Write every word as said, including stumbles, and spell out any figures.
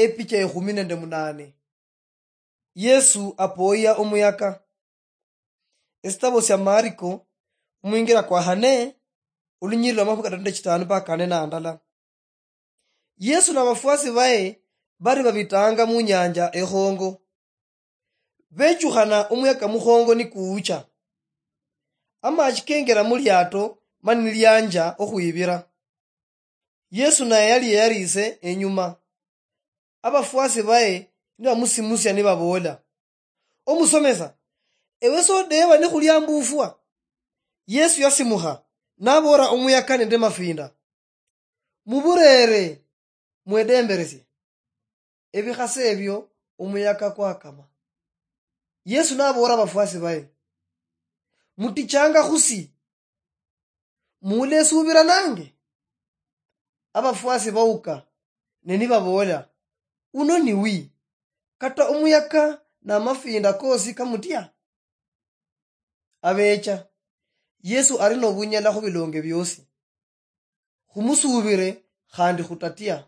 Epicha ekhumi nende munane. Yesu apoya omuyaka. Esitabo sia Mariko, omwingira kwa hane, olunyiriri lwa makhumi katatu nende chitano mpaka kane na ndala. Yesu na bafuasi baye bari babitanga mu nyanja ekhongo. Bechukhana omuyaka mukhongo nikuucha. Amachi kengera mu liato mani nilianja okhwibira. Yesu naye yali yeyarise enyuma. Abafuasi baye nibamusimusia nibabola, "Omusomesa, ewe sodeba nikhuliambufwa?" Yesu yasimukha, nabora omuyaka nende mafinda, "Muburere, mwedemberesie." Ebikhase ebio omuyaka kwakama. Yesu nabora abafuasi baye, "Mutichanga khusi? Mulesubira nange?" Abafuasi bauka, ne nibabola, "Uno ni wi, kata omuyaka namafinda kosi kamutia?" Abecha, Yesu ari nobunyala khubilonge biosi. Khumusubire khandi khutatia.